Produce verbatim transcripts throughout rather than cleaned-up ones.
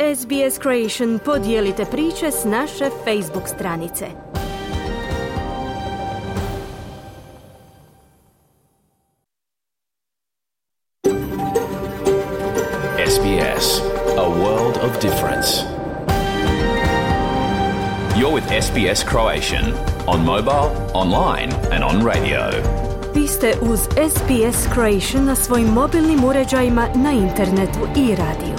S B S Creation podijelite priče s naše Facebook stranice. S B S, a world of difference. You're with S B S Croatian on mobile, online and on radio. Vi ste uz S B S Croatian na svojim mobilnim uređajima, na internetu i radiju.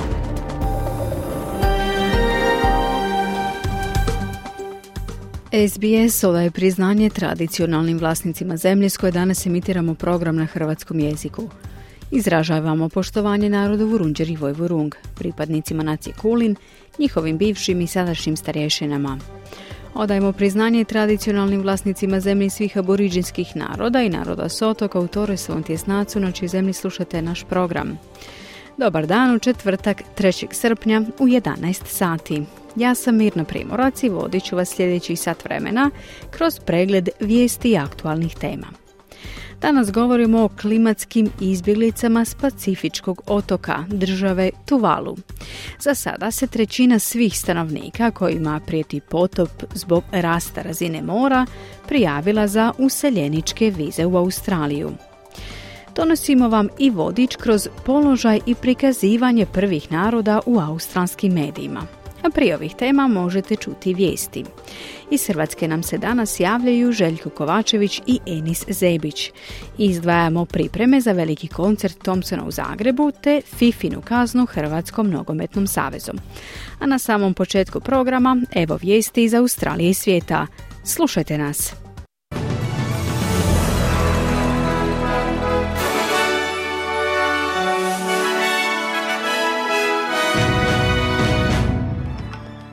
S B S odaje priznanje tradicionalnim vlasnicima zemlje s koje danas emitiramo program na hrvatskom jeziku. Izražavamo poštovanje narodu Vurundjer i Vojvurung, pripadnicima nacije Kulin, njihovim bivšim i sadašnjim starješinama. Odajemo priznanje tradicionalnim vlasnicima zemlji svih aboriđinskih naroda i naroda s otoka u Torresovom tjesnacu, na čijoj zemlji slušate naš program. Dobar dan u četvrtak, trećeg srpnja u jedanaest sati. Ja sam Mirna Primorac i vodit ću vas sljedećih sat vremena kroz pregled vijesti i aktualnih tema. Danas govorimo o klimatskim izbjeglicama s Pacifičkog otoka, države Tuvalu. Za sada se trećina svih stanovnika kojima prijeti potop zbog rasta razine mora prijavila za useljeničke vize u Australiju. Donosimo vam i vodič kroz položaj i prikazivanje prvih naroda u australskim medijima. A prije ovih tema možete čuti vijesti. Iz Hrvatske nam se danas javljaju Željko Kovačević i Enis Zebić. Izdvajamo pripreme za veliki koncert Thompsona u Zagrebu te Fifinu kaznu Hrvatskom nogometnom savezom. A na samom početku programa evo vijesti iz Australije i svijeta. Slušajte nas!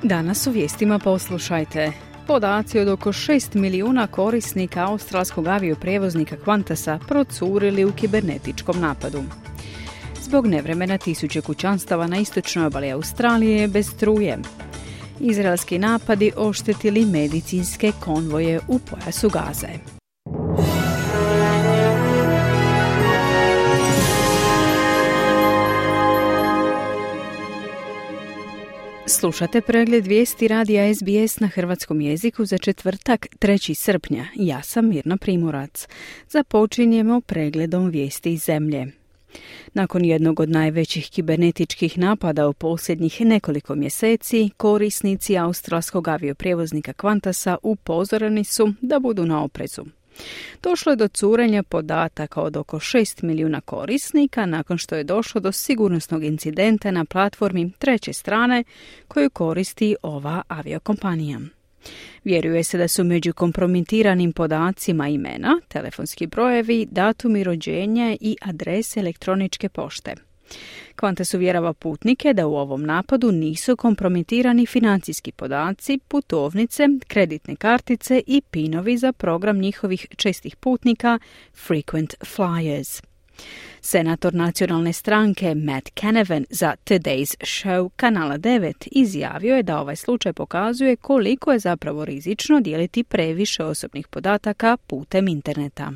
Danas u vijestima poslušajte. Podaci od oko šest milijuna korisnika australskog avioprijevoznika Qantasa procurili u kibernetičkom napadu. Zbog nevremena tisuće kućanstava na istočnoj obali Australije bez struje. Izraelski napadi oštetili medicinske konvoje u pojasu Gaze. Slušate pregled vijesti radija S B S na hrvatskom jeziku za četvrtak, trećeg srpnja. Ja sam Mirna Primorac. Započinjemo pregledom vijesti iz zemlje. Nakon jednog od najvećih kibernetičkih napada u posljednjih nekoliko mjeseci, korisnici australskog avioprijevoznika Qantasa upozoreni su da budu na oprezu. Došlo je do curenja podataka od oko šest milijuna korisnika nakon što je došlo do sigurnosnog incidenta na platformi treće strane koju koristi ova aviokompanija. Vjeruje se da su među kompromitiranim podacima imena, telefonski brojevi, datumi rođenja i adrese elektroničke pošte. Qantas uvjerava putnike da u ovom napadu nisu kompromitirani financijski podaci, putovnice, kreditne kartice i pinovi za program njihovih čestih putnika Frequent Flyers. Senator nacionalne stranke Matt Canavan za Today's Show kanala devet izjavio je da ovaj slučaj pokazuje koliko je zapravo rizično dijeliti previše osobnih podataka putem interneta.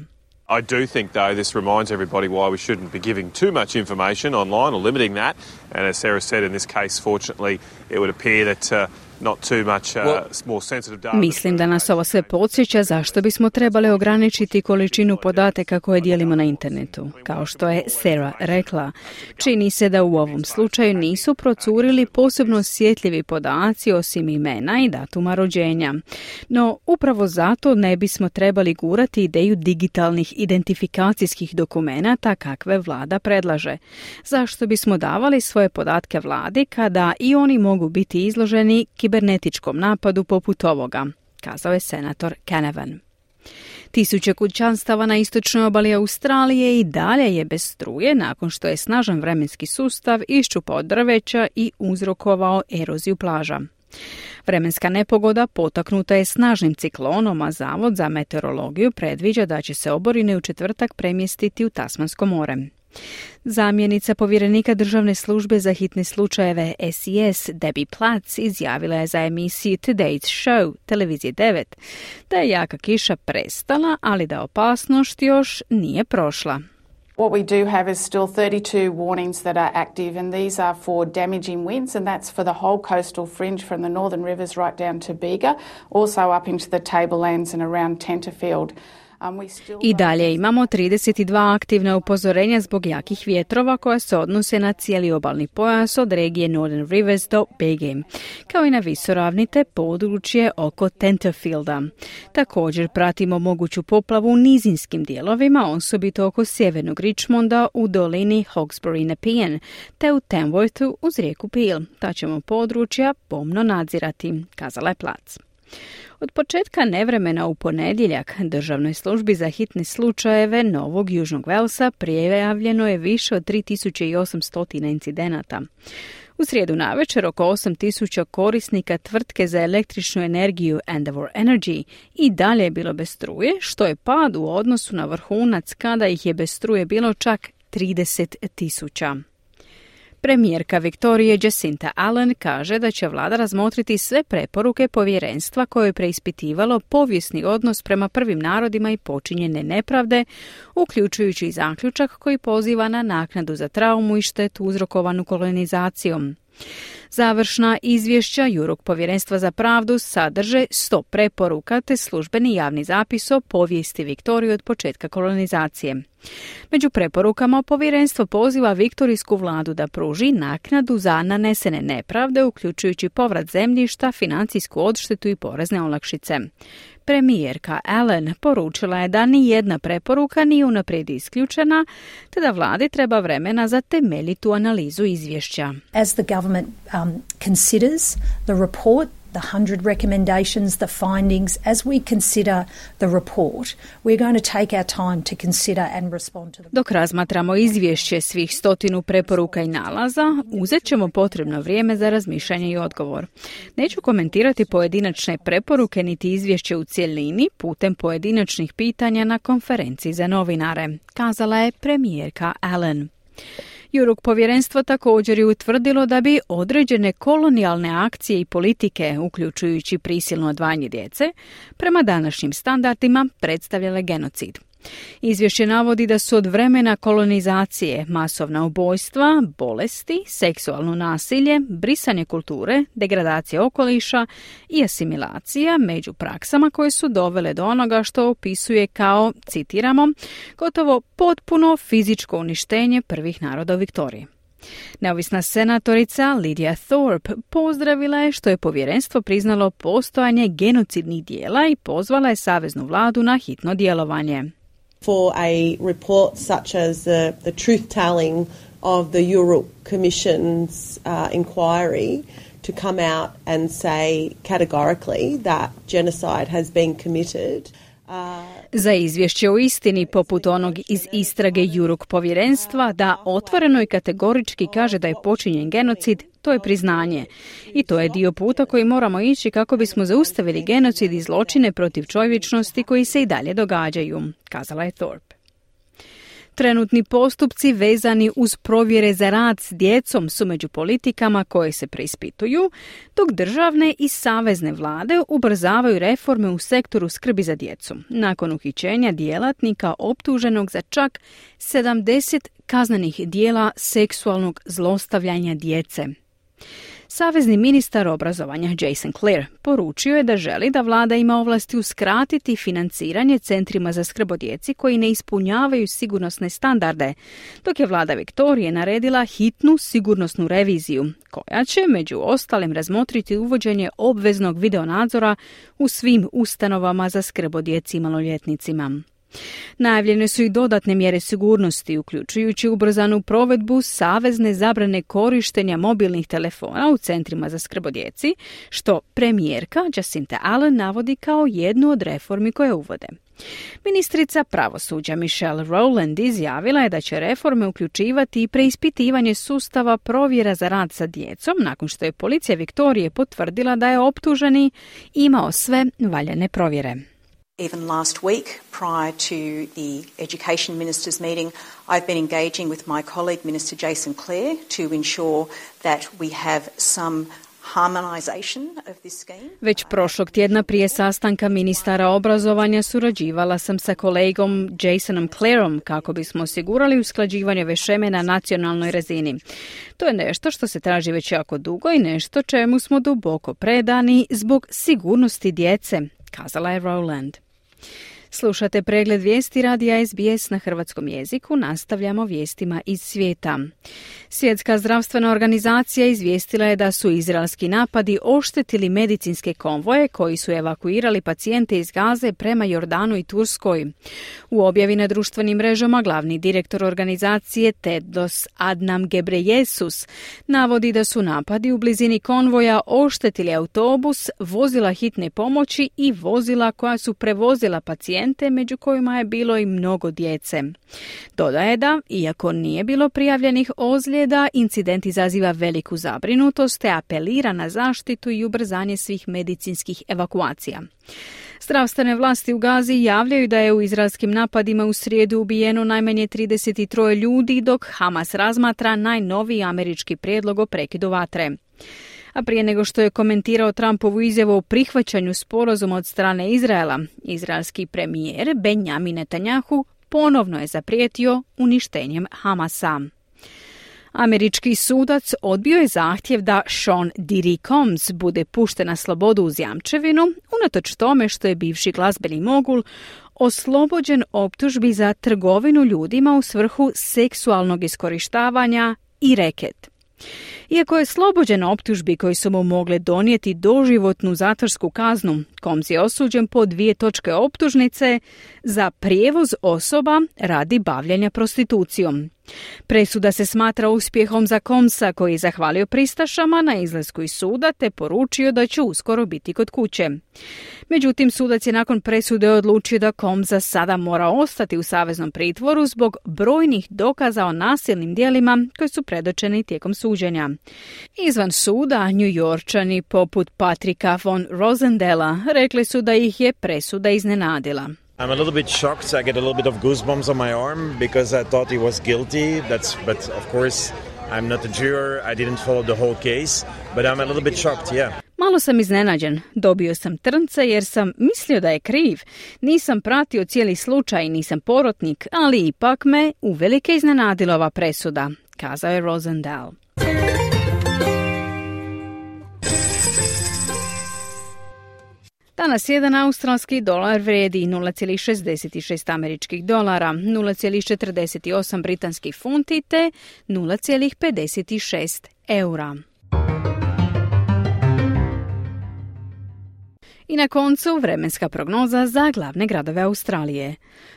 I do think, though, this reminds everybody why we shouldn't be giving too much information online or limiting that. And as Sarah said, in this case, fortunately, it would appear that uh, not too much uh, more sensitive data. Mislim da nas ovo sve podsjeća zašto bismo trebali ograničiti količinu podataka koje dijelimo na internetu. Kao što je Sarah rekla, čini se da u ovom slučaju nisu procurili posebno osjetljivi podaci osim imena i datuma rođenja. No, upravo zato ne bismo trebali gurati ideju digitalnih identifikacijskih dokumenata kakve vlada predlaže. Zašto bismo davali svoje podatke vladi kada i oni mogu biti izloženi kibernetičkom napadu poput ovoga, kazao je senator Canavan. Tisuće kućanstava na istočnoj obali Australije i dalje je bez struje nakon što je snažan vremenski sustav iščupao drveća i uzrokovao eroziju plaža. Vremenska nepogoda potaknuta je snažnim ciklonom, a Zavod za meteorologiju predviđa da će se oborine u četvrtak premjestiti u Tasmansko more. Zamjenica povjerenika državne službe za hitne slučajeve S I S Debbie Platts izjavila je za emisiju Today's Show televizije devet da je jaka kiša prestala, ali da opasnost još nije prošla. What we do have is still thirty-two warnings that are active, and these are for damaging winds, and that's for the whole coastal fringe from the northern rivers right down to Bega, also up into the tablelands and around Tenterfield. I dalje imamo trideset dva aktivna upozorenja zbog jakih vjetrova koja se odnose na cijeli obalni pojas od regije Northern Rivers do Bege, kao i na visoravnite područje oko Tenterfielda. Također pratimo moguću poplavu u nizinskim dijelovima, osobito oko sjevernog Richmonda u dolini Hawkesbury-Nepean, te u Tamworthu uz rijeku Peel. Ta ćemo područja pomno nadzirati, kazala je Plac. Od početka nevremena u ponedjeljak Državnoj službi za hitne slučajeve Novog Južnog Velsa prijavljeno je više od tri tisuće osamsto incidenata. U srijedu navečer oko osam tisuća korisnika tvrtke za električnu energiju Endeavour Energy i dalje je bilo bez struje, što je pad u odnosu na vrhunac kada ih je bez struje bilo čak trideset tisuća. Premijerka Viktorije Jacinta Allen kaže da će vlada razmotriti sve preporuke povjerenstva koje je preispitivalo povijesni odnos prema prvim narodima i počinjene nepravde, uključujući i zaključak koji poziva na naknadu za traumu i štetu uzrokovanu kolonizacijom. Završna izvješća Jurok povjerenstva za pravdu sadrže sto preporuka te službeni javni zapis o povijesti Viktorije od početka kolonizacije. Među preporukama povjerenstvo poziva viktorijsku vladu da pruži naknadu za nanesene nepravde, uključujući povrat zemljišta, financijsku odštetu i porezne olakšice. Premijerka Allen poručila je da ni jedna preporuka nije unaprijed isključena, te da vladi treba vremena za temeljitu analizu izvješća. As the government um, considers the report, the hundred recommendations, the findings, as we consider the report, we're going to take our time to consider and respond to them. Dok razmatramo izvješće svih stotinu preporuka i nalaza, uzet ćemo potrebno vrijeme za razmišljanje i odgovor. Neću komentirati pojedinačne preporuke niti izvješće u cjelini putem pojedinačnih pitanja na konferenciji za novinare, kazala je premijerka Allen. Jurok povjerenstvo također je utvrdilo da bi određene kolonijalne akcije i politike, uključujući prisilno odvajanje djece, prema današnjim standardima predstavljale genocid. Izvješće navodi da su od vremena kolonizacije masovna ubojstva, bolesti, seksualno nasilje, brisanje kulture, degradacija okoliša i asimilacija među praksama koje su dovele do onoga što opisuje kao, citiramo, gotovo potpuno fizičko uništenje prvih naroda u Viktoriji. Neovisna senatorica Lydia Thorpe pozdravila je što je povjerenstvo priznalo postojanje genocidnih dijela i pozvala je saveznu vladu na hitno djelovanje. For a report such as the, the truth-telling of the Yurok Commission's uh, inquiry to come out and say categorically that genocide has been committed. Uh, Za izvješće o istini poput onog iz istrage Jurok povjerenstva da otvoreno i kategorički kaže da je počinjen genocid, to je priznanje. I to je dio puta koji moramo ići kako bismo zaustavili genocid i zločine protiv čovječnosti koji se i dalje događaju, kazala je Thorpe. Trenutni postupci vezani uz provjere za rad s djecom su među politikama koje se preispituju, dok državne i savezne vlade ubrzavaju reforme u sektoru skrbi za djecu, nakon uhićenja djelatnika optuženog za čak sedamdeset kaznenih dijela seksualnog zlostavljanja djece. Savezni ministar obrazovanja Jason Clare poručio je da želi da vlada ima ovlasti uskratiti financiranje centrima za skrb o djeci koji ne ispunjavaju sigurnosne standarde, dok je vlada Viktorije naredila hitnu sigurnosnu reviziju, koja će među ostalim razmotriti uvođenje obveznog videonadzora u svim ustanovama za skrb o djeci i maloljetnicima. Najavljene su i dodatne mjere sigurnosti, uključujući ubrzanu provedbu savezne zabrane korištenja mobilnih telefona u centrima za skrb o djeci, što premijerka Jacinta Allen navodi kao jednu od reformi koje uvode. Ministrica pravosuđa Michelle Rowland izjavila je da će reforme uključivati i preispitivanje sustava provjera za rad sa djecom nakon što je policija Viktorije potvrdila da je optuženi imao sve valjane provjere. Even last week, prior to the Education Ministers' meeting, I've been engaging with my colleague, Minister Jason Clare, to ensure that we have some harmonisation of this scheme. Već prošlog tjedna prije sastanka ministara obrazovanja surađivala sam sa kolegom Jasonom Clarom kako bismo osigurali usklađivanje ove šeme na nacionalnoj razini. To je nešto što se traži već jako dugo i nešto čemu smo duboko predani zbog sigurnosti djece, kazala je Rowland. Slušate pregled vijesti radija S B S na hrvatskom jeziku, nastavljamo vijestima iz svijeta. Svjetska zdravstvena organizacija izvijestila je da su izraelski napadi oštetili medicinske konvoje koji su evakuirali pacijente iz Gaze prema Jordanu i Turskoj. U objavi na društvenim mrežama glavni direktor organizacije Tedros Adhanom Ghebreyesus navodi da su napadi u blizini konvoja oštetili autobus, vozila hitne pomoći i vozila koja su prevozila pacijente, među kojima je bilo i mnogo djece. Dodaje da, iako nije bilo prijavljenih ozljeda, incident izaziva veliku zabrinutost te apelira na zaštitu i ubrzanje svih medicinskih evakuacija. Zdravstvene vlasti u Gazi javljaju da je u izraelskim napadima u srijedu ubijeno najmanje trideset tri ljudi, dok Hamas razmatra najnoviji američki prijedlog o prekidu vatre. A prije nego što je komentirao Trumpovu izjavu o prihvaćanju sporazuma od strane Izraela, izraelski premijer Benjamin Netanjahu ponovno je zaprijetio uništenjem Hamasa. Američki sudac odbio je zahtjev da Sean Diddy Combs bude pušten na slobodu uz jamčevinu, unatoč tome što je bivši glazbeni mogul oslobođen optužbi za trgovinu ljudima u svrhu seksualnog iskorištavanja i reket. Iako je slobođen optužbi koji su mu mogle donijeti doživotnu zatvorsku kaznu, Combs je osuđen po dvije točke optužnice za prijevoz osoba radi bavljenja prostitucijom. Presuda se smatra uspjehom za Combsa koji je zahvalio pristašama na izlasku iz suda te poručio da će uskoro biti kod kuće. Međutim, sudac je nakon presude odlučio da Combs za sada mora ostati u saveznom pritvoru zbog brojnih dokaza o nasilnim djelima koji su predočeni tijekom suđenja. Izvan suda, New-Yorčani poput Patricka von Rosendela rekli su da ih je presuda iznenadila. I'm a little bit shocked. I get a little bit of goosebumps on my arm because I thought he was guilty. That's, but of course, I'm not a juror. I didn't follow the whole case, but I'm a little bit shocked, yeah. Malo sam iznenađen. Dobio sam trnce jer sam mislio da je kriv. Nisam pratio cijeli slučaj, nisam porotnik, ali ipak me uvelike iznenadila ova presuda, kazao je Rosendal. Danas jedan australski dolar vrijedi nula zarez šezdeset šest američkih dolara, nula zarez četrdeset osam britanskih funti te nula zarez pedeset šest eura. I na koncu vremenska prognoza za glavne gradove Australije.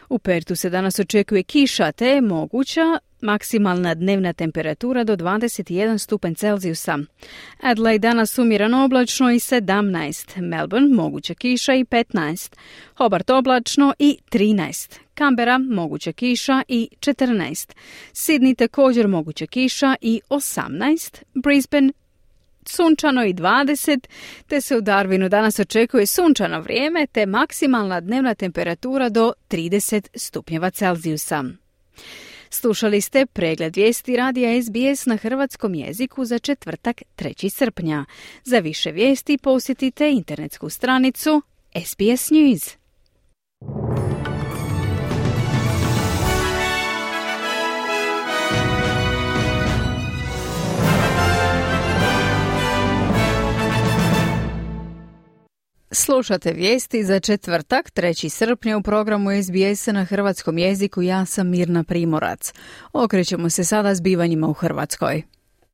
U Pertu se danas očekuje kiša te je moguća maksimalna dnevna temperatura do dvadeset jedan stupanj Celzijusa. Adelaide danas umjereno oblačno i sedamnaest, Melbourne moguća kiša i petnaest, Hobart oblačno i trinaest, Canberra moguća kiša i četrnaest, Sydney također moguća kiša i osamnaest, Brisbane sunčano i dvadeset, te se u Darwinu danas očekuje sunčano vrijeme te maksimalna dnevna temperatura do trideset stupnjeva Celzijusa. Slušali ste pregled vijesti radija S B S na hrvatskom jeziku za četvrtak trećeg srpnja. Za više vijesti posjetite internetsku stranicu S B S News. Slušate vijesti za četvrtak, trećeg srpnja u programu S B S na hrvatskom jeziku. Ja sam Mirna Primorac. Okrećemo se sada zbivanjima u Hrvatskoj.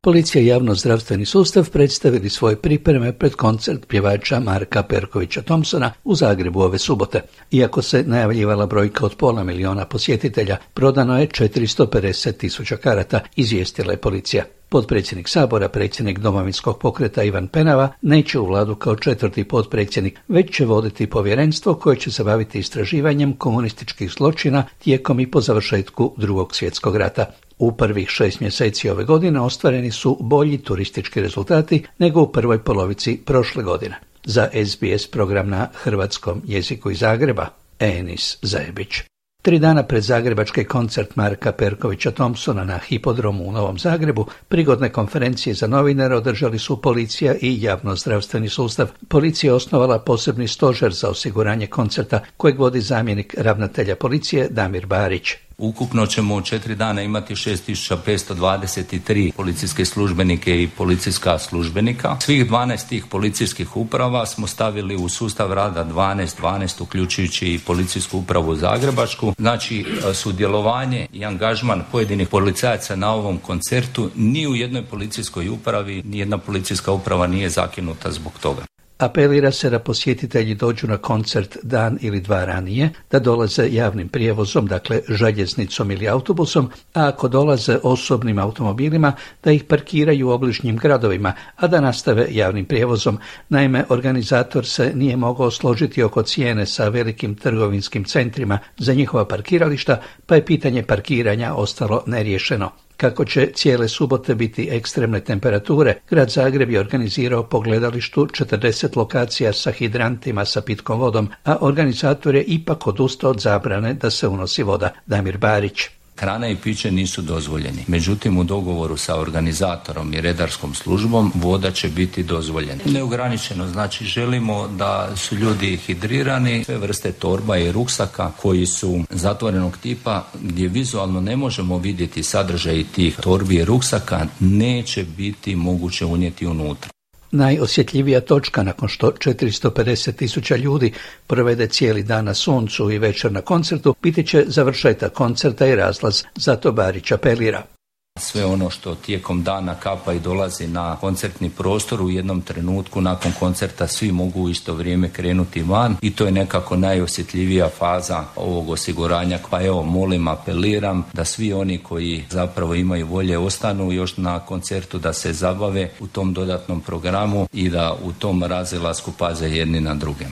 Policija i javno-zdravstveni sustav predstavili svoje pripreme pred koncert pjevača Marka Perkovića Thompsona u Zagrebu ove subote. Iako se najavljivala brojka od pola miliona posjetitelja, prodano je četiristo pedeset tisuća karata, izvijestila je policija. Potpredsjednik Sabora, predsjednik Domovinskog pokreta Ivan Penava, neće u vladu kao četvrti potpredsjednik, već će voditi povjerenstvo koje će se baviti istraživanjem komunističkih zločina tijekom i po završetku Drugog svjetskog rata. U prvih šest mjeseci ove godine ostvareni su bolji turistički rezultati nego u prvoj polovici prošle godine. Za S B S program na hrvatskom jeziku iz Zagreba, Enis Zajebić. Tri dana pred zagrebački koncert Marka Perkovića Thompsona na Hipodromu u Novom Zagrebu, prigodne konferencije za novinare održali su policija i javnozdravstveni sustav. Policija je osnovala posebni stožer za osiguranje koncerta kojeg vodi zamjenik ravnatelja policije Damir Barić. Ukupno ćemo u četiri dana imati šest tisuća petsto dvadeset tri policijske službenike i policijska službenika. Svih dvanaest tih policijskih uprava smo stavili u sustav rada dvanaest dvanaest, uključujući i policijsku upravu Zagrebačku. Znači, sudjelovanje i angažman pojedinih policajaca na ovom koncertu ni u jednoj policijskoj upravi, ni jedna policijska uprava nije zakinuta zbog toga. Apelira se da posjetitelji dođu na koncert dan ili dva ranije, da dolaze javnim prijevozom, dakle željeznicom ili autobusom, a ako dolaze osobnim automobilima, da ih parkiraju u obližnjim gradovima, a da nastave javnim prijevozom. Naime, organizator se nije mogao složiti oko cijene sa velikim trgovinskim centrima za njihova parkirališta, pa je pitanje parkiranja ostalo neriješeno. Kako će cijele subote biti ekstremne temperature, grad Zagreb je organizirao po gledalištu četrdeset lokacija sa hidrantima sa pitkom vodom, a organizator je ipak odustao od zabrane da se unosi voda. Damir Barić. Hrana i piće nisu dozvoljeni. Međutim, u dogovoru sa organizatorom i redarskom službom voda će biti dozvoljena. Neograničeno, znači želimo da su ljudi hidrirani, sve vrste torba i ruksaka koji su zatvorenog tipa, gdje vizualno ne možemo vidjeti sadržaj tih torbi i ruksaka, neće biti moguće unijeti unutra. Najosjetljivija točka nakon što četiristo pedeset tisuća ljudi provede cijeli dan na suncu i večer na koncertu biti će završetak koncerta i razlaz, zato Barić apelira. Sve ono što tijekom dana kapa i dolazi na koncertni prostor, u jednom trenutku nakon koncerta svi mogu u isto vrijeme krenuti van i to je nekako najosjetljivija faza ovog osiguranja. Pa evo, molim, apeliram da svi oni koji zapravo imaju volje ostanu još na koncertu, da se zabave u tom dodatnom programu i da u tom razilasku paze jedni na druge.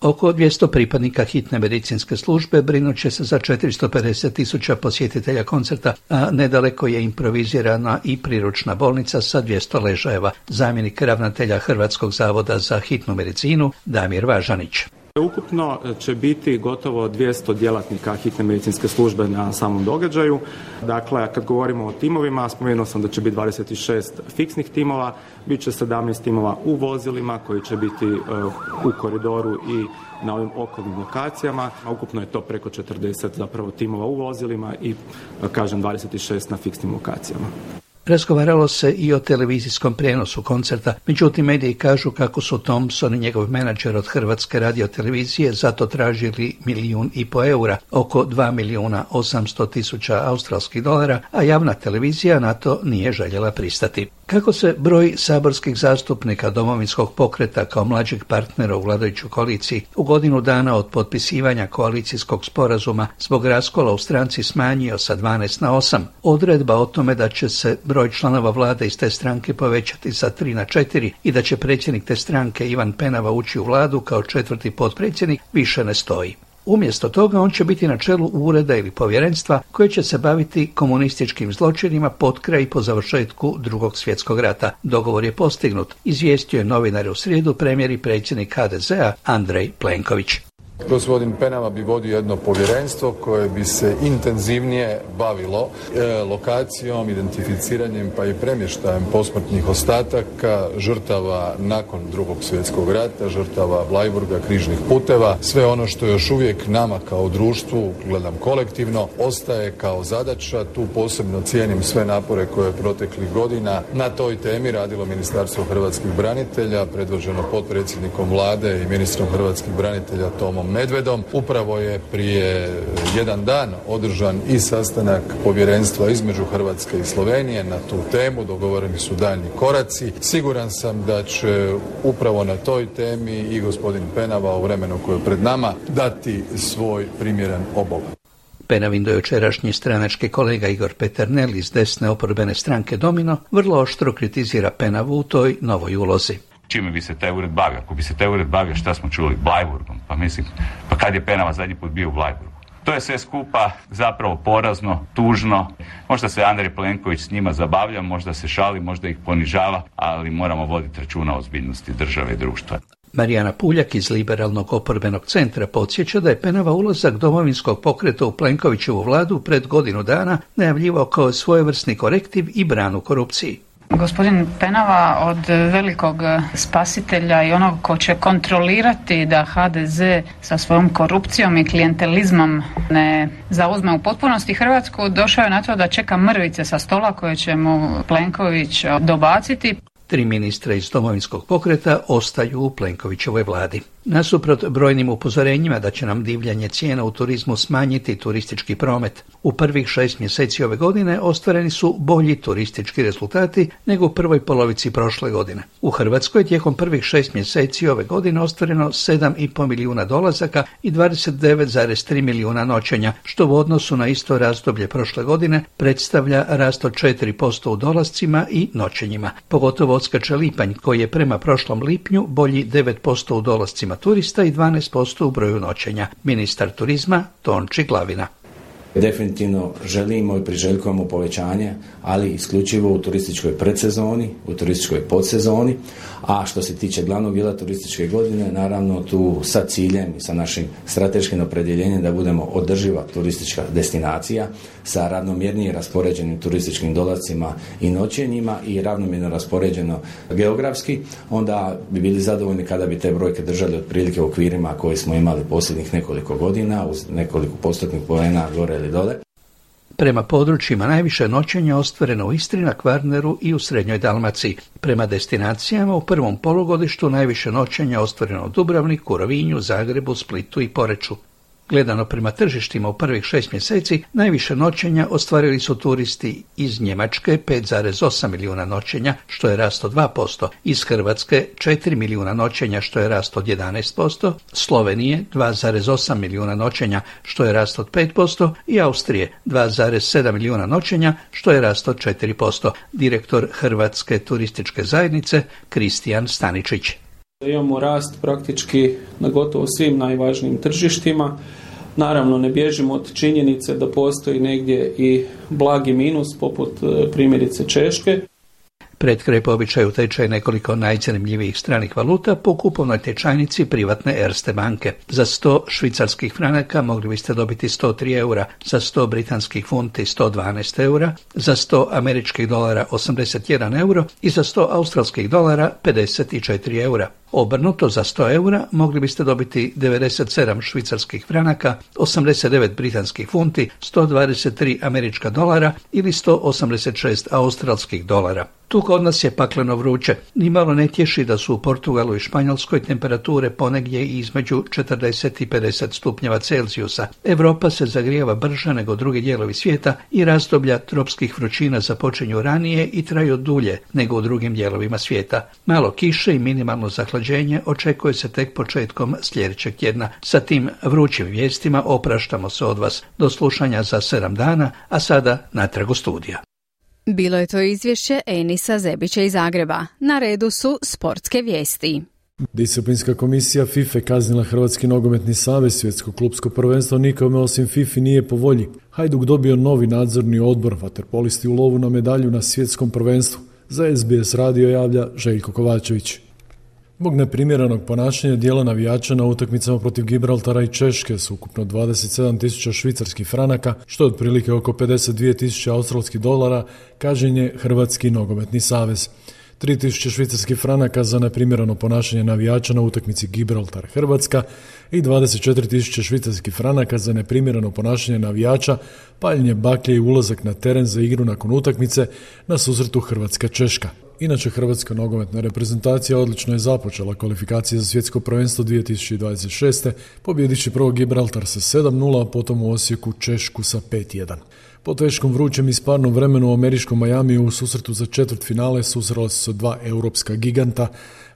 Oko dvjesto pripadnika hitne medicinske službe brinut će se za četiristo pedeset tisuća posjetitelja koncerta, a nedaleko je improvizirana i priručna bolnica sa dvjesto ležajeva. Zamjenik ravnatelja Hrvatskog zavoda za hitnu medicinu Damir Važanić. Ukupno će biti gotovo dvjesto djelatnika hitne medicinske službe na samom događaju. Dakle, kad govorimo o timovima, spomenuo sam da će biti dvadeset šest fiksnih timova, bit će sedamnaest timova u vozilima koji će biti u koridoru i na ovim okolnim lokacijama. Ukupno je to preko četrdeset zapravo timova u vozilima i, kažem, dvadeset šest na fiksnim lokacijama. Razgovaralo se i o televizijskom prijenosu koncerta, međutim mediji kažu kako su Thompson i njegov menadžer od Hrvatske radiotelevizije zato tražili milijun i po eura, oko dva milijuna osamsto tisuća australskih dolara, a javna televizija na to nije željela pristati. Kako se broj saborskih zastupnika Domovinskog pokreta kao mlađeg partnera u vladajućoj koaliciji u godinu dana od potpisivanja koalicijskog sporazuma zbog raskola u stranci smanjio sa dvanaest na osam, odredba o tome da će se broj članova vlade iz te stranke povećati sa tri na četiri i da će predsjednik te stranke Ivan Penava ući u vladu kao četvrti potpredsjednik više ne stoji. Umjesto toga on će biti na čelu ureda ili povjerenstva koje će se baviti komunističkim zločinima potkraj i po završetku Drugog svjetskog rata. Dogovor je postignut, izvijestio je novinare u srijedu premijer i predsjednik ha de zea Andrej Plenković. Gospodin Penava bi vodio jedno povjerenstvo koje bi se intenzivnije bavilo e, lokacijom, identificiranjem pa i premještajem posmrtnih ostataka, žrtava nakon Drugog svjetskog rata, žrtava Bleiburga, križnih puteva. Sve ono što još uvijek nama kao društvu, gledam kolektivno, ostaje kao zadaća. Tu posebno cijenim sve napore koje je proteklih godina na toj temi radilo Ministarstvo hrvatskih branitelja, predvođeno potpredsjednikom vlade i ministrom hrvatskih branitelja Tomom Medvedom. Upravo je prije jedan dan održan i sastanak povjerenstva između Hrvatske i Slovenije na tu temu, dogovoreni su daljnji koraci. Siguran sam da će upravo na toj temi i gospodin Penava u vremenu koje je pred nama dati svoj primjeren obol. Penavin dojučerašnji stranački kolega Igor Peternel iz desne oporbene stranke Domino vrlo oštro kritizira Penavu u toj novoj ulozi. Čime bi se taj ured bavio? Ako bi se taj ured bavio, šta smo čuli? Bleiburgom. Pa mislim, pa kad je Penava zadnji put bio u Bleiburgu? To je sve skupa zapravo porazno, tužno. Možda se Andrej Plenković s njima zabavlja, možda se šali, možda ih ponižava, ali moramo voditi računa o ozbiljnosti države i društva. Marijana Puljak iz Liberalnog oporbenog centra podsjeća da je Penava ulazak Domovinskog pokreta u Plenkovićevu vladu pred godinu dana najavljivao kao svojevrsni korektiv i branu korupciji. Gospodin Penava od velikog spasitelja i onog ko će kontrolirati da ha de ze sa svojom korupcijom i klijentelizmom ne zauzme u potpunosti Hrvatsku, došao je na to da čeka mrvice sa stola koje će mu Plenković dobaciti. Tri ministra iz Domovinskog pokreta ostaju u Plenkovićevoj vladi. Nasuprot brojnim upozorenjima da će nam divljanje cijena u turizmu smanjiti turistički promet, u prvih šest mjeseci ove godine ostvareni su bolji turistički rezultati nego u prvoj polovici prošle godine. U Hrvatskoj tijekom prvih šest mjeseci ove godine ostvareno sedam i pol milijuna dolazaka i dvadeset devet zarez tri milijuna noćenja, što u odnosu na isto razdoblje prošle godine predstavlja rast od četiri posto u dolascima i noćenjima. Pogotovo odskače lipanj koji je prema prošlom lipnju bolji devet posto u dolascima turista i dvanaest posto u broju noćenja. Ministar turizma Tonči Glavina. Definitivno želimo i priželjkujemo povećanje, ali isključivo u turističkoj predsezoni, u turističkoj podsezoni, a što se tiče glavnog dijela turističke godine, naravno tu sa ciljem i sa našim strateškim opredjeljenjem da budemo održiva turistička destinacija sa ravnomjernije raspoređenim turističkim dolazcima i noćenjima i ravnomjerno raspoređeno geografski, onda bi bili zadovoljni kada bi te brojke držali otprilike u okvirima koje smo imali posljednjih nekoliko godina, uz nekoliko postotnih poena gore ili dole. Prema područjima najviše noćenja ostvareno u Istri, na Kvarneru i u Srednjoj Dalmaciji. Prema destinacijama u prvom polugodištu najviše noćenja ostvareno u Dubrovniku, Rovinju, Zagrebu, Splitu i Poreču. Gledano prema tržištima u prvih šest mjeseci, najviše noćenja ostvarili su turisti iz Njemačke pet zarez osam milijuna noćenja, što je rast od dva posto, iz Hrvatske četiri milijuna noćenja, što je rast od jedanaest posto, Slovenije dva zarez osam milijuna noćenja, što je rast od pet posto i Austrije dva zarez sedam milijuna noćenja, što je rast od četiri posto. Direktor Hrvatske turističke zajednice Kristijan Staničić. Imamo rast praktički na gotovo svim najvažnijim tržištima. Naravno, ne bježimo od činjenice da postoji negdje i blagi minus, poput primjerice Češke. Pred kraj po običaju tečaj nekoliko najzanimljivijih stranih valuta po kupovnoj tečajnici privatne Erste banke. Za sto švicarskih franaka mogli biste dobiti sto tri eura, za sto britanskih funti sto dvanaest eura, za sto američkih dolara osamdeset jedan euro i za sto australskih dolara pedeset četiri eura. Obrnuto, za sto eura mogli biste dobiti devedeset sedam švicarskih franaka, osamdeset devet britanskih funti, sto dvadeset tri američka dolara ili sto osamdeset šest australskih dolara. Tu kod nas je pakleno vruće. Nimalo ne tješi da su u Portugalu i Španjolskoj temperature ponegdje između četrdeset i pedeset stupnjeva Celzijusa. Europa se zagrijava brže nego drugi dijelovi svijeta i razdoblja tropskih vrućina započinju ranije i traju dulje nego u drugim dijelovima svijeta. Malo kiše i minimalno zahlađenje očekuje se tek početkom sljedećeg tjedna. Sa tim vrućim vijestima opraštamo se od vas. Do slušanja za sedam dana, a sada natrag u studija. Bilo je to izvješće Enisa Zebića iz Zagreba. Na redu su sportske vijesti. Disciplinska komisija FIFA kaznila Hrvatski nogometni savez. Svjetsko klupsko prvenstvo nikome osim FIFA nije po volji. Hajduk dobio novi nadzorni odbor, vaterpolisti u lovu na medalju na svjetskom prvenstvu. Za es be es radio javlja Željko Kovačević. Zbog neprimjerenog ponašanja dijela navijača na utakmicama protiv Gibraltara i Češke s ukupno dvadeset sedam tisuća švicarskih franaka, što je otprilike oko pedeset dvije tisuće australskih dolara, kažnjen je Hrvatski nogometni savez. tri tisuće švicarskih franaka za neprimjereno ponašanje navijača na utakmici Gibraltar-Hrvatska i dvadeset četiri tisuće švicarskih franaka za neprimjereno ponašanje navijača, paljenje baklje i ulazak na teren za igru nakon utakmice na susretu Hrvatska-Češka. Inače, Hrvatska nogometna reprezentacija odlično je započela kvalifikacije za svjetsko prvenstvo dvije tisuće dvadeset šeste, pobjedići prvo Gibraltar sa sedam nula, a potom u Osijeku Češku sa pet jedan. Po teškom vrućem i sparnom vremenu u američkom Majamiju u susretu za četvrtfinale susrela su se dva europska giganta,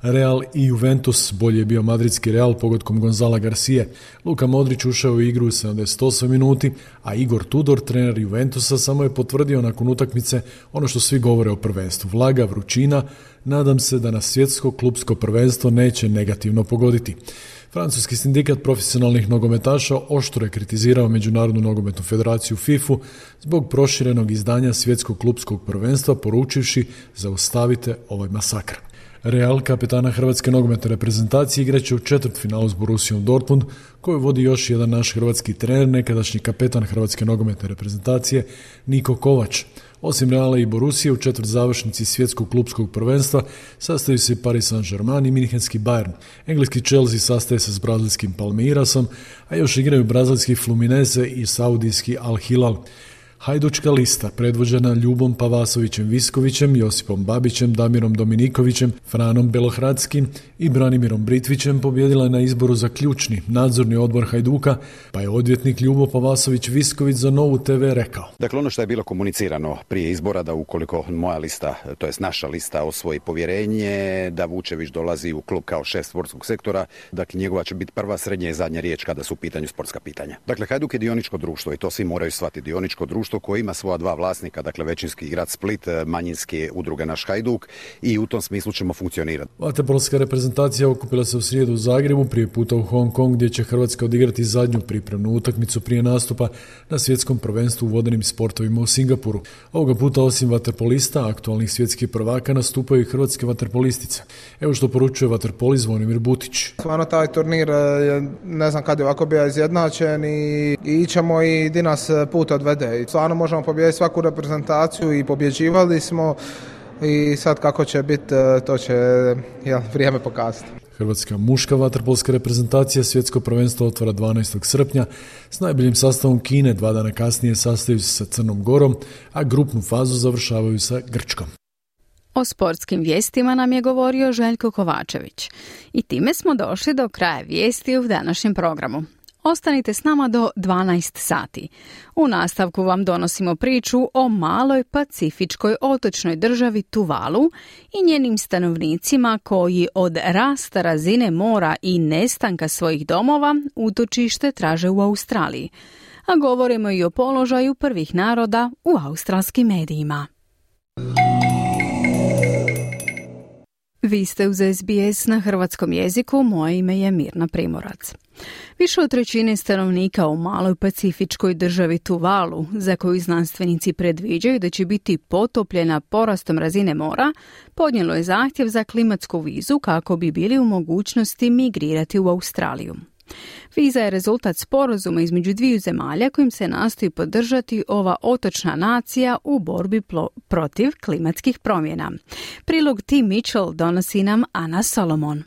Real i Juventus. Bolje je bio madridski Real pogodkom Gonzala Garcije. Luka Modrić ušao u igru u sedamdeset osam minuti, a Igor Tudor, trener Juventusa, samo je potvrdio nakon utakmice ono što svi govore o prvenstvu. Vlaga, vrućina, nadam se da nas svjetsko klupsko prvenstvo neće negativno pogoditi. Francuski sindikat profesionalnih nogometaša oštro je kritizirao Međunarodnu nogometnu federaciju fifu zbog proširenog izdanja svjetskog klupskog prvenstva, poručivši zaustavite ovaj masakr. Real, kapetana hrvatske nogometne reprezentacije, igraće u četvrtfinalu s Borussijom Dortmund, koju vodi još jedan naš hrvatski trener, nekadašnji kapetan hrvatske nogometne reprezentacije Niko Kovač. Osim Reala i Borussije, u četvrt završnici svjetskog klupskog prvenstva sastaju se Paris Saint-Germain i Münchenski Bayern. Engleski Chelsea sastaje se s brazilskim Palmeirasom, a još igraju brazilski Fluminense i saudijski Al Hilal. Hajdučka lista, predvođena Ljubom Pavasovićem Viskovićem, Josipom Babićem, Damirom Dominikovićem, Franom Belohradskim i Branimirom Britvićem, pobjedila je na izboru za ključni nadzorni odbor Hajduka, pa je odvjetnik Ljubo Pavasović Visković za Novu te ve rekao. Dakle, ono što je bilo komunicirano prije izbora, da ukoliko moja lista, to jest naša lista, osvoji povjerenje, da Vučević dolazi u klub kao šef sportskog sektora, dakle njegova će biti prva, srednja i zadnja riječ kada su u pitanju sportska pitanja. Dakle, Hajduk je dioničko društvo i to svi moraju shvatiti, dioničko društvo koji ima svoja dva vlasnika, dakle većinski grad Split, manjinski udruge naš Hajduk, i u tom smislu ćemo funkcionirati. Vaterpolska reprezentacija okupila se u srijedu u Zagrebu, prije puta u Hong Kong, gdje će Hrvatska odigrati zadnju pripremnu utakmicu prije nastupa na svjetskom prvenstvu u vodenim sportovima u Singapuru. Ovoga puta osim vaterpolista, aktualnih svjetskih prvaka, nastupaju i hrvatske vaterpolistice. Evo što poručuje vaterpoli Zvonimir Butić. Stvarno taj turnir je, ne znam kad je ovako bio izjednačen, i, i ićemo i di nas put odvede. I stvarno možemo pobijediti svaku reprezentaciju i pobjeđivali smo, i sad kako će biti, to će jel, vrijeme pokazati. Hrvatska muška vaterpolska reprezentacija svjetsko prvenstvo otvara dvanaestog srpnja s najboljim sastavom Kine, dva dana kasnije sastaju se sa Crnom Gorom, a grupnu fazu završavaju sa Grčkom. O sportskim vijestima nam je govorio Željko Kovačević. I time smo došli do kraja vijesti u današnjem programu. Ostanite s nama do dvanaest sati. U nastavku vam donosimo priču o maloj pacifičkoj otočnoj državi Tuvalu i njenim stanovnicima koji od rasta razine mora i nestanka svojih domova utočište traže u Australiji. A govorimo i o položaju prvih naroda u australskim medijima. Vi ste uz es be es na hrvatskom jeziku, moje ime je Mirna Primorac. Više od trećine stanovnika u maloj pacifičkoj državi Tuvalu, za koju znanstvenici predviđaju da će biti potopljena porastom razine mora, podnijelo je zahtjev za klimatsku vizu kako bi bili u mogućnosti migrirati u Australiju. Viza je rezultat sporazuma između dviju zemalja kojim se nastoji podržati ova otočna nacija u borbi plo- protiv klimatskih promjena. Prilog Tim Mitchell donosi nam Ana Solomon.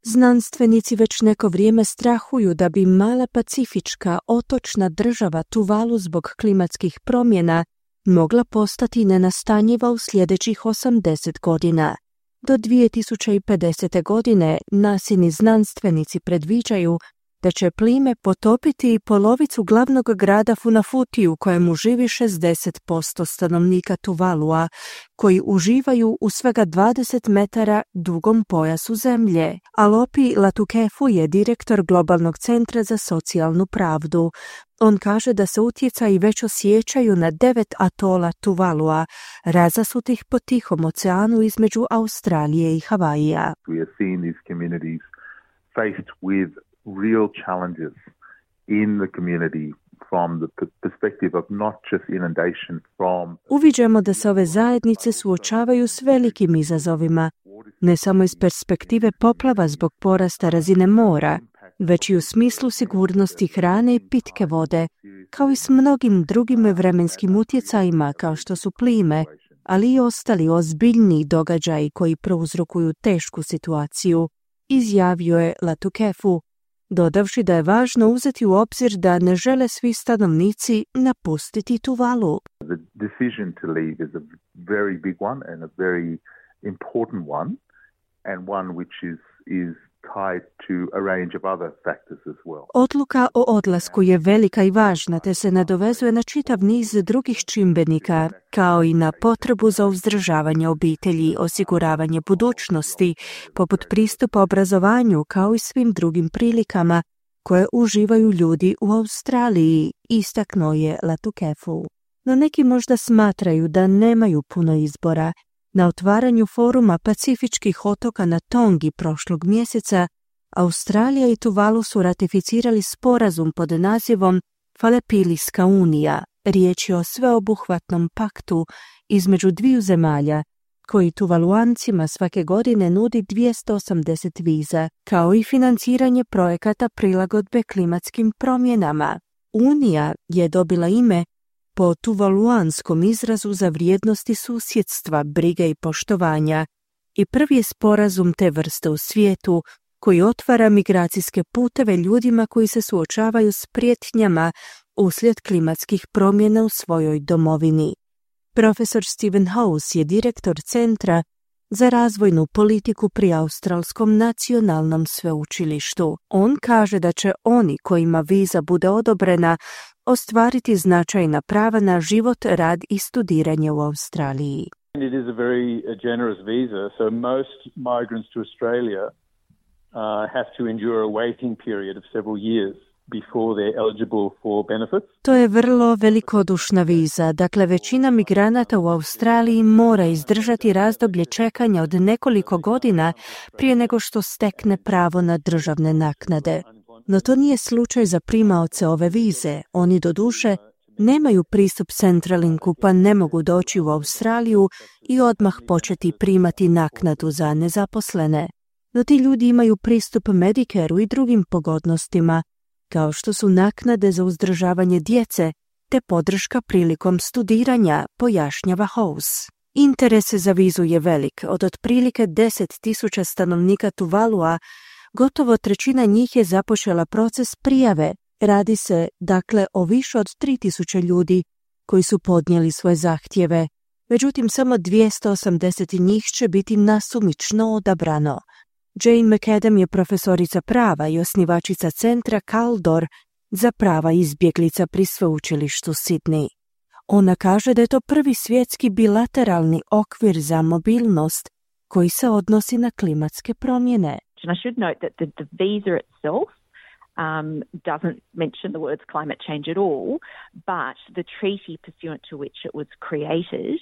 Znanstvenici već neko vrijeme strahuju da bi mala pacifička otočna država Tuvalu zbog klimatskih promjena mogla postati nenastanjiva u sljedećih osamdeset godina. Do dvije tisuće pedesete. godine nasini znanstvenici predviđaju da će plime potopiti polovicu glavnog grada Funafuti u kojemu živi šezdeset posto stanovnika Tuvalua, koji uživaju u svega dvadeset metara dugom pojasu zemlje. Alopi Latukefu je direktor Globalnog centra za socijalnu pravdu. On kaže da se utjecaji već osjećaju na devet atola Tuvalua, razasutih po Tihom oceanu između Australije i Havaija. We are seeing these communities faced with real challenges in the community from the perspective of not just inundation from... Uviđamo da se ove zajednice suočavaju s velikim izazovima, ne samo iz perspektive poplava zbog porasta razine mora, već i u smislu sigurnosti hrane i pitke vode, kao i s mnogim drugim vremenskim utjecajima kao što su plime, ali i ostali ozbiljni događaji koji prouzrokuju tešku situaciju, izjavio je Latukefu, dodavši da je važno uzeti u obzir da ne žele svi stanovnici napustiti Tuvalu. The decision to leave is a very big one and a very important one, and one which is is tied to a range of other factors as well. Odluka o odlasku je velika i važna, te se nadovezuje na čitav niz drugih čimbenika, kao i na potrebu za uzdržavanje obitelji, osiguravanje budućnosti, poput pristupa obrazovanju, kao i svim drugim prilikama koje uživaju ljudi u Australiji, istaknuo je Latukefu. No neki možda smatraju da nemaju puno izbora. Na otvaranju foruma pacifičkih otoka na Tongi prošlog mjeseca, Australija i Tuvalu su ratificirali sporazum pod nazivom Falepilijska unija. Riječ je o sveobuhvatnom paktu između dviju zemalja koji Tuvaluancima svake godine nudi dvjesto osamdeset viza, kao i financiranje projekata prilagodbe klimatskim promjenama. Unija je dobila ime po tuvaluanskom izrazu za vrijednosti susjedstva, brige i poštovanja i prvi je sporazum te vrste u svijetu koji otvara migracijske puteve ljudima koji se suočavaju s prijetnjama uslijed klimatskih promjena u svojoj domovini. Profesor Stephen House je direktor Centra za razvojnu politiku pri Australskom nacionalnom sveučilištu. On kaže da će oni kojima viza bude odobrena ostvariti značajna prava na život, rad i studiranje u Australiji. It is a very uh, generous visa, so most migrants to Australia uh, have to endure a waiting period of several years before they're eligible for benefits. To je vrlo velikodušna viza, dakle većina migranata u Australiji mora izdržati razdoblje čekanja od nekoliko godina prije nego što stekne pravo na državne naknade. No to nije slučaj za primaoce ove vize, oni doduše nemaju pristup Centrelinku pa ne mogu doći u Australiju i odmah početi primati naknadu za nezaposlene. No ti ljudi imaju pristup Medicareu i drugim pogodnostima, kao što su naknade za uzdržavanje djece te podrška prilikom studiranja, pojašnjava House. Interes za vizu je velik, od otprilike deset tisuća stanovnika Tuvalua, gotovo trećina njih je započela proces prijave. Radi se, dakle, o više od tri tisuće ljudi koji su podnijeli svoje zahtjeve. Međutim, samo dvjesto osamdeset njih će biti nasumično odabrano. Jane McAdam je profesorica prava i osnivačica centra Kaldor za prava izbjeglica pri sveučilištu Sydney. Ona kaže da je to prvi svjetski bilateralni okvir za mobilnost koji se odnosi na klimatske promjene. And I should note that the, the visa itself um, doesn't mention the words climate change at all, but the treaty pursuant to which it was created.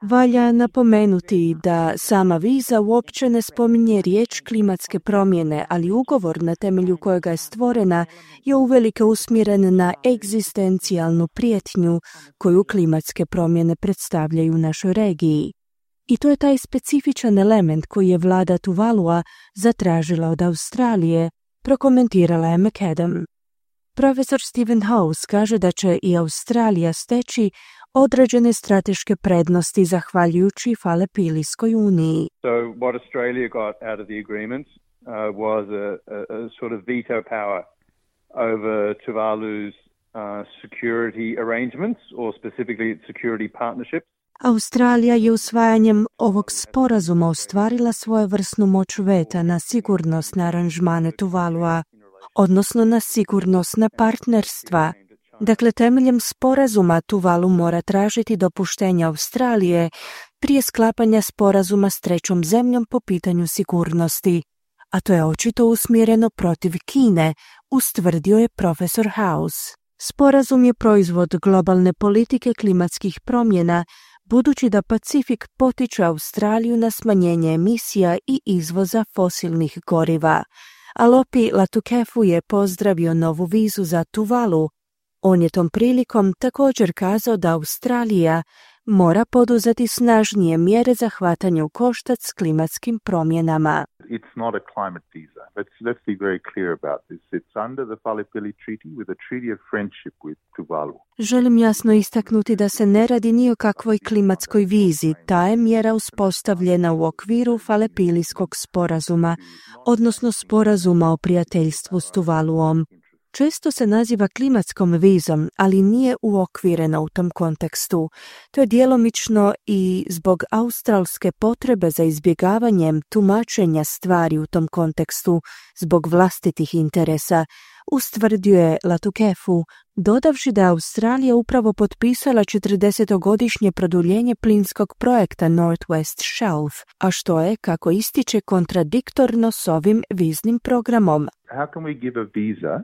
Valja napomenuti da sama viza uopće ne spominje riječ klimatske promjene, ali ugovor na temelju kojega je stvorena je uvelike usmjeren na egzistencijalnu prijetnju koju klimatske promjene predstavljaju u našoj regiji. I to je taj specifičan element koji je vlada Tuvalua zatražila od Australije, prokomentirala je McAdam. Profesor Stephen House kaže da će i Australija steći određene strateške prednosti zahvaljujući Falepilijskoj uniji. So what Australia got out of the agreement uh, was a, a, a sort of veto power over Tuvalu's uh, security arrangements or specifically its security partnerships. Australija je usvajanjem ovog sporazuma ostvarila svojevrsnu moć veta na sigurnosne aranžmane Tuvalua, odnosno na sigurnosna partnerstva. Dakle, temeljem sporazuma Tuvalu mora tražiti dopuštenje Australije prije sklapanja sporazuma s trećom zemljom po pitanju sigurnosti, a to je očito usmjereno protiv Kine, ustvrdio je profesor House. Sporazum je proizvod globalne politike klimatskih promjena, budući da Pacifik potiče Australiju na smanjenje emisija i izvoza fosilnih goriva. Alopi Latukefu je pozdravio novu vizu za Tuvalu. On je tom prilikom također kazao da Australija mora poduzeti snažnije mjere za hvatanje u koštac s klimatskim promjenama. It's not a climate visa. Let's, let's be very clear about this. It's under the Fale-Pili Treaty with a treaty of friendship with Tuvalu. Želim jasno istaknuti da se ne radi ni o kakvoj klimatskoj vizi. Ta je mjera uspostavljena u okviru Falepilijskog sporazuma, odnosno sporazuma o prijateljstvu s Tuvaluom. Često se naziva klimatskom vizom, ali nije uokvirena u tom kontekstu. To je djelomično i zbog australske potrebe za izbjegavanjem tumačenja stvari u tom kontekstu, zbog vlastitih interesa, ustvrdio je Latukefu, dodavši da je Australija upravo potpisala četrdesetogodišnje produljenje plinskog projekta Northwest Shelf, a što je, kako ističe, kontradiktorno s ovim viznim programom. How can we give a visa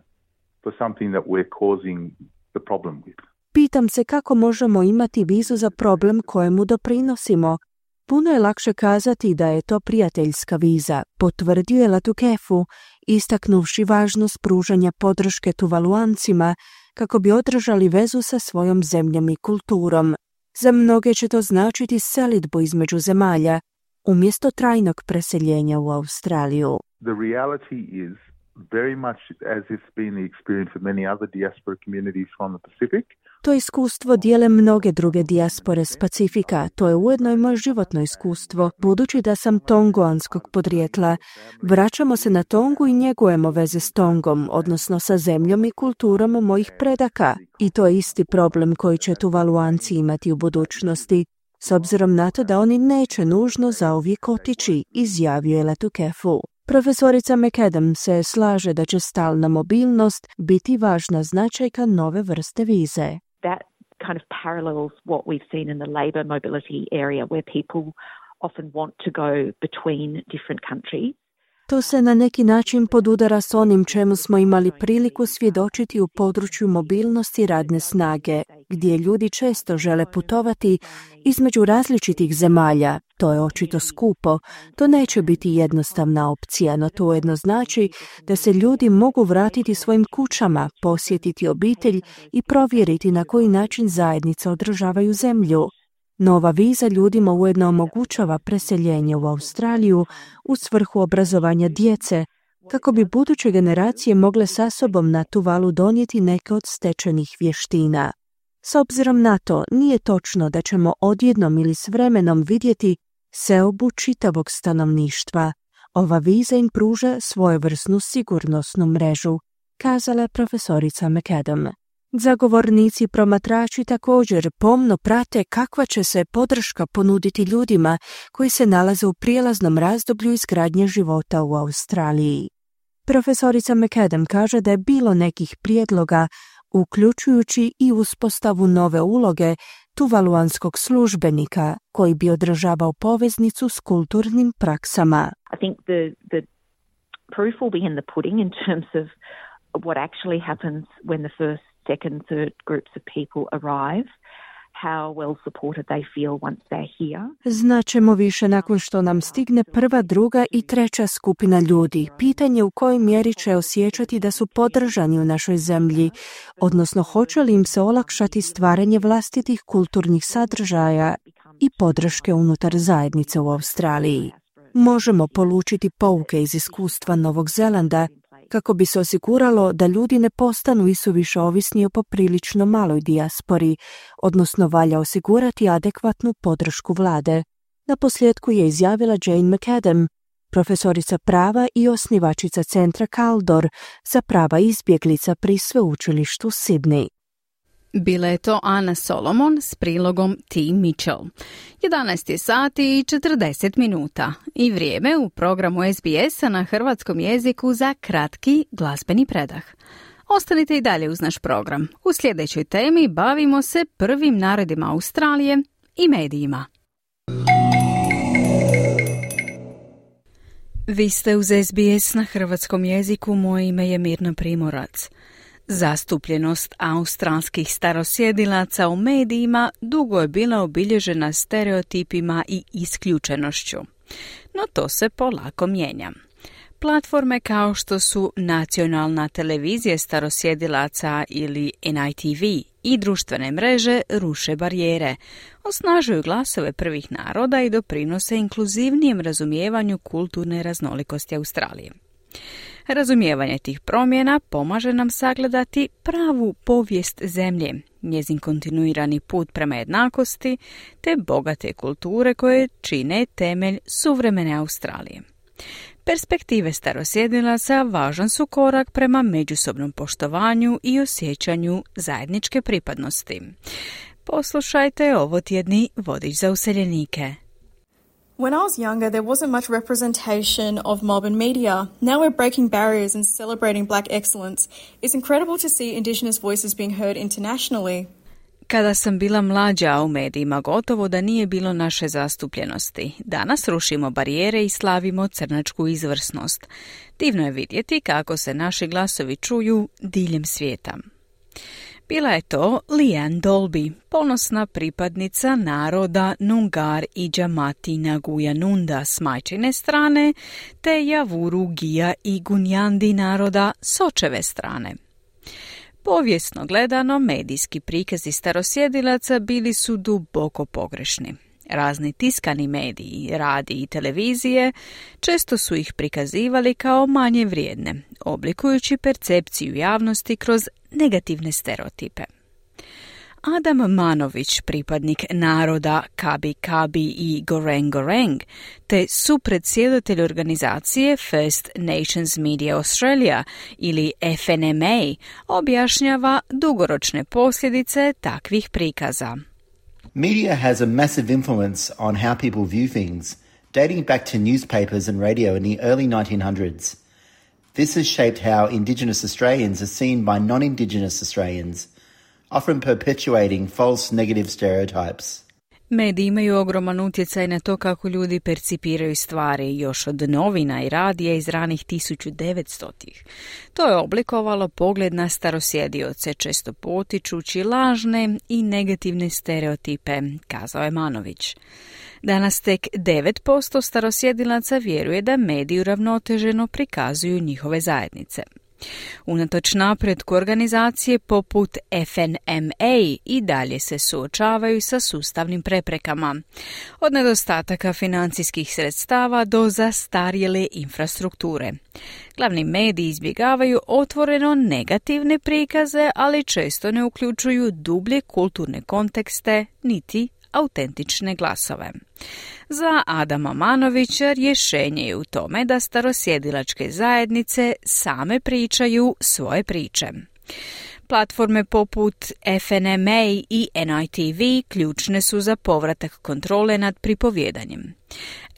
for something that we're causing the problem with? Pitam se kako možemo imati vizu za problem kojemu doprinosimo. Puno je lakše kazati da je to prijateljska viza, potvrdio je Latukefu, istaknuvši važnost pružanja podrške Tuvaluancima kako bi održali vezu sa svojom zemljom i kulturom. Za mnoge će to značiti selidbu između zemalja, umjesto trajnog preseljenja u Australiju. The reality is very much as it's been the experience of many other diaspora communities from the Pacific. To iskustvo dijele mnoge druge dijaspore s Pacifika. To je ujedno i moje životno iskustvo, budući da sam tongoanskog podrijetla. Vraćamo se na Tongu i njegujemo veze s Tongom, odnosno sa zemljom i kulturom mojih predaka. I to je isti problem koji će Tuvaluanci imati u budućnosti, s obzirom na to da oni neće nužno zauvijek otići, izjavio je Letukefu. Profesorica McAdam se slaže da će stalna mobilnost biti važna značajka nove vrste vize. That kind of parallels what we've seen in the labour mobility area, where people often want to go between different countries. To se na neki način podudara s onim čemu smo imali priliku svjedočiti u području mobilnosti radne snage, gdje ljudi često žele putovati između različitih zemalja. To je očito skupo, to neće biti jednostavna opcija, no to ujedno znači da se ljudi mogu vratiti svojim kućama, posjetiti obitelj i provjeriti na koji način zajednice održavaju zemlju. Nova viza ljudima ujedno omogućava preseljenje u Australiju u svrhu obrazovanja djece, kako bi buduće generacije mogle sa sobom na Tuvalu donijeti neke od stečenih vještina. S obzirom na to, nije točno da ćemo odjednom ili s vremenom vidjeti seobu čitavog stanovništva. Ova viza im pruža svojevrsnu sigurnosnu mrežu, kazala je profesorica McAdam. Zagovornici promatrači također pomno prate kakva će se podrška ponuditi ljudima koji se nalaze u prijelaznom razdoblju izgradnje života u Australiji. Profesorica McAdam kaže da je bilo nekih prijedloga, uključujući i uspostavu nove uloge tuvaluanskog službenika koji bi održavao poveznicu s kulturnim praksama. I think the, the proof will be in the pudding in terms of what actually happens when the first, second, third groups of people arrive, how well supported they feel once they're here. Znaćemo više nakon što nam stigne prva, druga i treća skupina ljudi. Pitanje u kojoj mjeri će osjećati da su podržani u našoj zemlji, odnosno hoće li im se olakšati stvaranje vlastitih kulturnih sadržaja i podrške unutar zajednice u Australiji. Možemo polučiti pouke iz iskustva Novog Zelanda kako bi se osiguralo da ljudi ne postanu isuviše ovisni o poprilično maloj dijaspori, odnosno valja osigurati adekvatnu podršku vlade. Na posljedku je izjavila Jane McAdam, profesorica prava i osnivačica centra Kaldor za prava izbjeglica pri sveučilištu Sydney. Bila je to Ana Solomon s prilogom T. Mitchell. jedanaest je sati i četrdeset minuta i vrijeme u programu S B S-a na hrvatskom jeziku za kratki glazbeni predah. Ostanite i dalje uz naš program. U sljedećoj temi bavimo se prvim narodima Australije i medijima. Vi ste uz S B S na hrvatskom jeziku, moje ime je Mirna Primorac. Zastupljenost australskih starosjedilaca u medijima dugo je bila obilježena stereotipima i isključenošću. No to se polako mijenja. Platforme kao što su nacionalna televizija starosjedilaca ili N I T V i društvene mreže ruše barijere, osnažuju glasove prvih naroda i doprinose inkluzivnijem razumijevanju kulturne raznolikosti Australije. Razumijevanje tih promjena pomaže nam sagledati pravu povijest zemlje, njezin kontinuirani put prema jednakosti te bogate kulture koje čine temelj suvremene Australije. Perspektive starosjedilaca važan su korak prema međusobnom poštovanju i osjećanju zajedničke pripadnosti. Poslušajte ovo tjedni vodič za useljenike. When I was younger, there wasn't much representation of mob and media. Now we're breaking barriers and celebrating black excellence. It's incredible to see Indigenous voices being heard internationally. Kada sam bila mlađa, u medijima gotovo da nije bilo naše zastupljenosti. Danas rušimo barijere i slavimo crnačku izvrsnost. Divno je vidjeti kako se naši glasovi čuju diljem svijeta. Bila je to Leanne Dolby, ponosna pripadnica naroda Nungar i Džamati Naguja Nunda s majčine strane, te Javuru, Gija i Gunjandi naroda s očeve strane. Povijesno gledano, medijski prikazi starosjedilaca bili su duboko pogrešni. Razni tiskani mediji, radiji i televizije često su ih prikazivali kao manje vrijedne, oblikujući percepciju javnosti kroz negativne stereotipe. Adam Manović, pripadnik naroda Kabi Kabi i Goreng Goreng, te supredsjedatelj organizacije First Nations Media Australia ili F N M A, objašnjava dugoročne posljedice takvih prikaza. Media has a massive influence on how people view things, dating back to newspapers and radio in the early nineteen hundreds. This has shaped how Indigenous Australians are seen by non-Indigenous Australians, often perpetuating false negative stereotypes. Mediji imaju ogroman utjecaj na to kako ljudi percipiraju stvari još od novina i radija iz ranih tisuću devetstotih. To je oblikovalo pogled na starosjedioce, često potičući lažne i negativne stereotipe, kazao je Manović. Danas tek devet posto starosjedilaca vjeruje da mediji uravnoteženo prikazuju njihove zajednice. Unatoč napretku organizacije poput F N M A i dalje se suočavaju sa sustavnim preprekama, od nedostataka financijskih sredstava do zastarjele infrastrukture. Glavni mediji izbjegavaju otvoreno negativne prikaze, ali često ne uključuju dublje kulturne kontekste niti autentične glasove. Za Adama Manovića rješenje je u tome da starosjedilačke zajednice same pričaju svoje priče. Platforme poput F N M A i N I T V ključne su za povratak kontrole nad pripovjedanjem.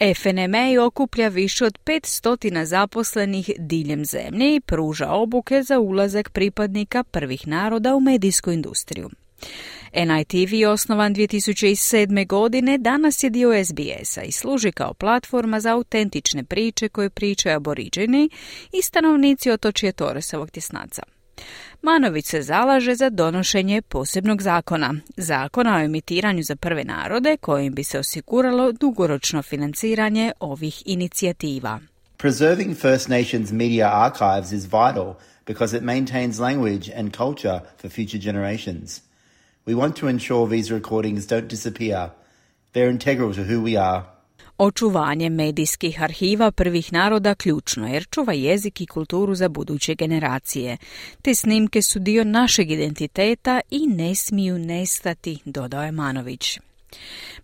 F N M A okuplja više od petsto zaposlenih diljem zemlje i pruža obuke za ulazak pripadnika prvih naroda u medijsku industriju. N I T V, osnovan dvije tisuće sedme. godine, danas je dio S B S-a i služi kao platforma za autentične priče koje pričaju aboriđeni i stanovnici otočja Torresovog tjesnaca. Manović se zalaže za donošenje posebnog zakona, zakona o emitiranju za prve narode, kojim bi se osiguralo dugoročno financiranje ovih inicijativa. Preserving First Nations media archives is vital because it maintains language and culture for future generations. We want to ensure these recordings don't disappear. They're integral to who we are. Očuvanje medijskih arhiva prvih naroda ključno jer čuva jezik i kulturu za buduće generacije. Te snimke su dio našeg identiteta i ne smiju nestati, dodao je Manović.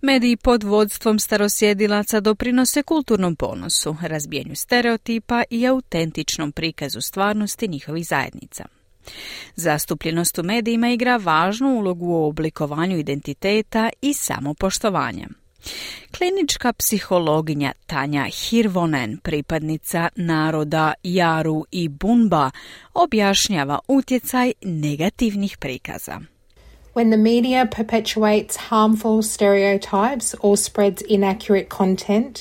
Mediji pod vodstvom starosjedilaca doprinose kulturnom ponosu, razbijanju stereotipa i autentičnom prikazu stvarnosti njihovih zajednica. Zastupljenost u medijima igra važnu ulogu u oblikovanju identiteta i samopoštovanja. Klinička psihologinja Tanja Hirvonen, pripadnica naroda Jaru i Bunba, objašnjava utjecaj negativnih prikaza. When the media perpetuates harmful stereotypes or spreads inaccurate content,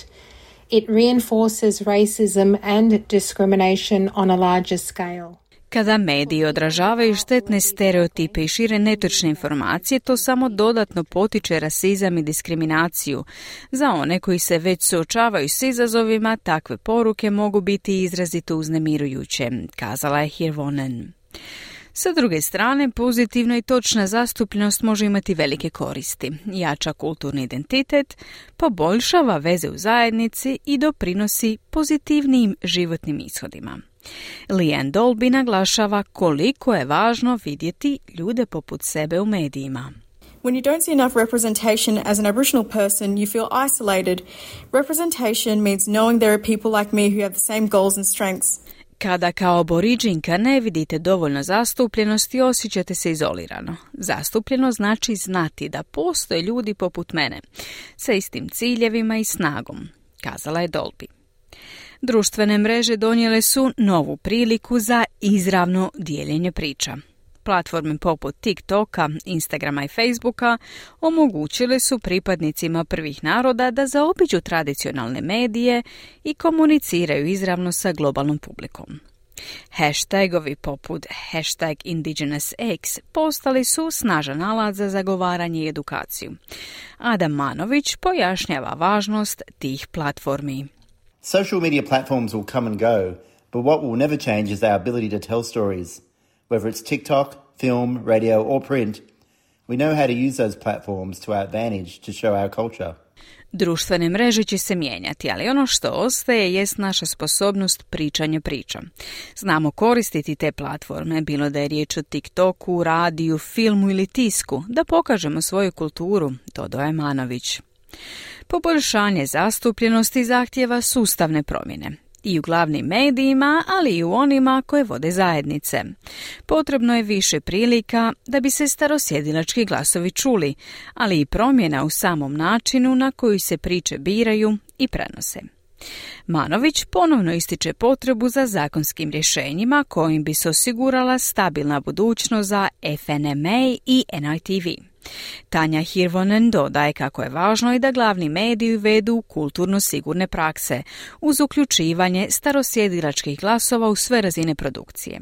it reinforces racism and discrimination on a larger scale. Kada mediji odražavaju štetne stereotipe i šire netočne informacije, to samo dodatno potiče rasizam i diskriminaciju. Za one koji se već suočavaju s izazovima, takve poruke mogu biti izrazito uznemirujuće, kazala je Hirvonen. Sa druge strane, pozitivna i točna zastupljenost može imati velike koristi, jača kulturni identitet, poboljšava veze u zajednici i doprinosi pozitivnijim životnim ishodima. Leanne Dolby naglašava koliko je važno vidjeti ljude poput sebe u medijima. When you don't see enough representation as an Aboriginal person, you feel isolated. Representation means knowing there are people like me who have the same goals and strengths. Kada kao aboriđinka ne vidite dovoljno zastupljenosti, osjećate se izolirano. Zastupljeno znači znati da postoje ljudi poput mene, sa istim ciljevima i snagom, kazala je Dolby. Društvene mreže donijele su novu priliku za izravno dijeljenje priča. Platforme poput TikToka, Instagrama i Facebooka omogućile su pripadnicima prvih naroda da zaobiđu tradicionalne medije i komuniciraju izravno sa globalnom publikom. Hashtagovi poput hashtag IndigenousX postali su snažan alat za zagovaranje i edukaciju. Adam Manović pojašnjava važnost tih platformi. Social media platforms will come and go, but what will never change is our ability to tell stories. Whether it's TikTok, film, radio or print, we know how to use those platforms to our advantage to show our culture. Društvene mreže će se mijenjati, ali ono što ostaje jest naša sposobnost pričanja priča. Znamo koristiti te platforme, bilo da je riječ o TikToku, radiju, filmu ili tisku, da pokažemo svoju kulturu, dodao je Manović. Poboljšanje zastupljenosti zahtijeva sustavne promjene. I u glavnim medijima, ali i u onima koje vode zajednice. Potrebno je više prilika da bi se starosjedilački glasovi čuli, ali i promjena u samom načinu na koji se priče biraju i prenose. Manović ponovno ističe potrebu za zakonskim rješenjima kojim bi se osigurala stabilna budućnost za F N M A i N I T V. Tanja Hirvonen dodaje kako je važno i da glavni mediji uvedu kulturno sigurne prakse, uz uključivanje starosjedilačkih glasova u sve razine produkcije.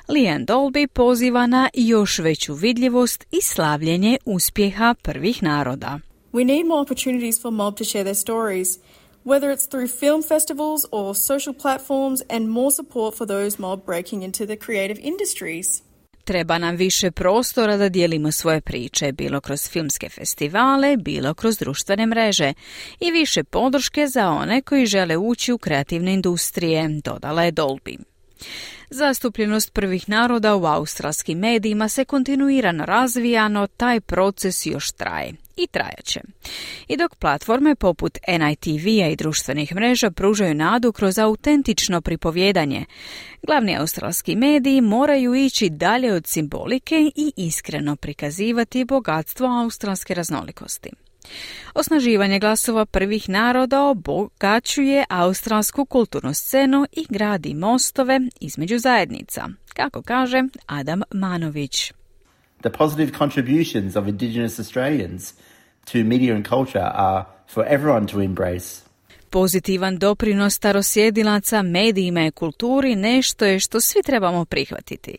Leanne Dolby poziva na još veću vidljivost i slavljenje uspjeha prvih naroda. We need more opportunities for mob to share their stories, whether it's through film festivals or social platforms, and more support for those mob breaking into the creative industries. Treba nam više prostora da dijelimo svoje priče, bilo kroz filmske festivale, bilo kroz društvene mreže, i više podrške za one koji žele ući u kreativne industrije, dodala je Dolby. Zastupljenost prvih naroda u australskim medijima se kontinuirano razvija, no taj proces još traje i trajaće. I dok platforme poput N I T V-a i društvenih mreža pružaju nadu kroz autentično pripovjedanje, glavni australski mediji moraju ići dalje od simbolike i iskreno prikazivati bogatstvo australske raznolikosti. Osnaživanje glasova prvih naroda obogaćuje australsku kulturnu scenu i gradi mostove između zajednica, kako kaže Adam Manović. The positive contributions of Indigenous Australians to media and culture are for everyone to embrace. Pozitivan doprinos starosjedilaca medijima i kulturi nešto je što svi trebamo prihvatiti.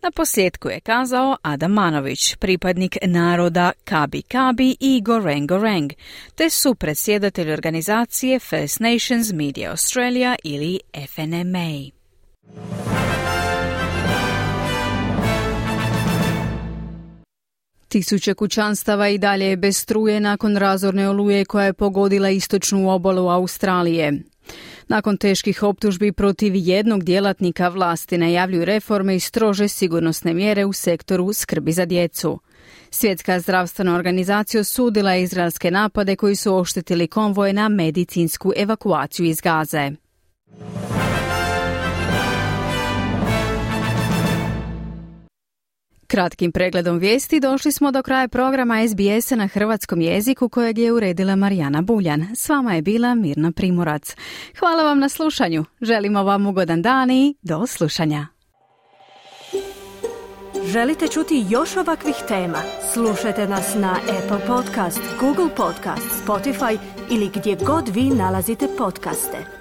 Na posljedku je kazao Adam Manović, pripadnik naroda Kabi Kabi i Goreng Goreng, te supredsjedatelj organizacije First Nations Media Australia ili F N M A. Tisuće kućanstava i dalje je bez struje nakon razorne oluje koja je pogodila istočnu obalu Australije. Nakon teških optužbi protiv jednog djelatnika vlasti najavljuju reforme i strože sigurnosne mjere u sektoru skrbi za djecu. Svjetska zdravstvena organizacija osudila je izraelske napade koji su oštetili konvoje na medicinsku evakuaciju iz Gaze. Kratkim pregledom vijesti došli smo do kraja programa S B S-a na hrvatskom jeziku kojeg je uredila Marijana Buljan. S vama je bila Mirna Primorac. Hvala vam na slušanju. Želimo vam ugodan dan i do slušanja. Želite čuti još ovakvih tema? Slušajte nas na Apple Podcast, Google Podcast, Spotify ili gdje god vi nalazite podcaste.